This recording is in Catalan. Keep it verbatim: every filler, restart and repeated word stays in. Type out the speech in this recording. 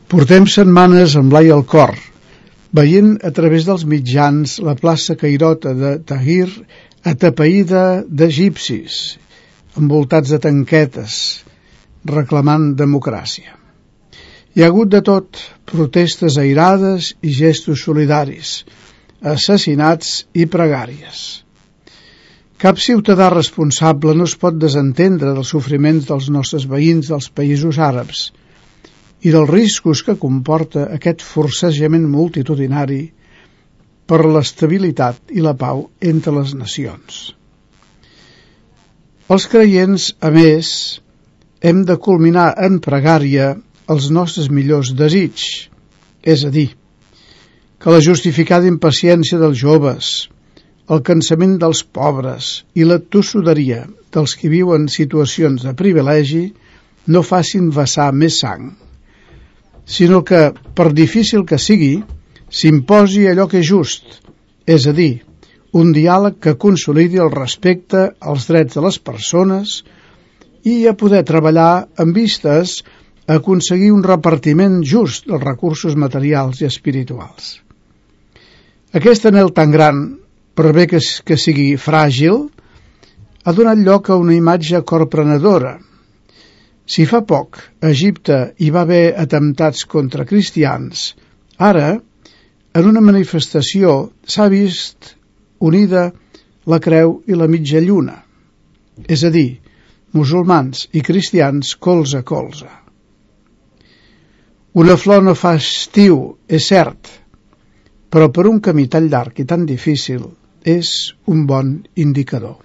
Portem setmanes amb l'ai al cor, veient a través dels mitjans la plaça Cairota de Tahrir atapeïda d'egipcis, envoltats de tanquetes, reclamant democràcia. Hi ha hagut de tot, protestes airades i gestos solidaris, assassinats i pregàries. Cap ciutadà responsable no es pot desentendre dels sofriments dels nostres veïns dels països àrabs i dels riscos que comporta aquest forcejament multitudinari per l'estabilitat i la pau entre les nacions. Els creients, a més, hem de culminar en pregària els nostres millors desigs, és a dir, que la justificada impaciència dels joves, el cansament dels pobres i la tossuderia dels que viuen situacions de privilegi no facin vessar més sang, sinó que, per difícil que sigui, s'imposi allò que és just, és a dir, un diàleg que consolidi el respecte als drets de les persones i a poder treballar amb vistes a aconseguir un repartiment just dels recursos materials i espirituals. Aquest anhel tan gran, per bé que, que sigui fràgil, ha donat lloc a una imatge corprenedora. Si fa poc a Egipte hi va haver atemptats contra cristians, ara, en una manifestació, s'ha vist unida la creu i la mitja lluna, és a dir, musulmans i cristians colze a colze. Una flor no fa estiu, és cert, però per un camí tan llarg i tan difícil és un bon indicador.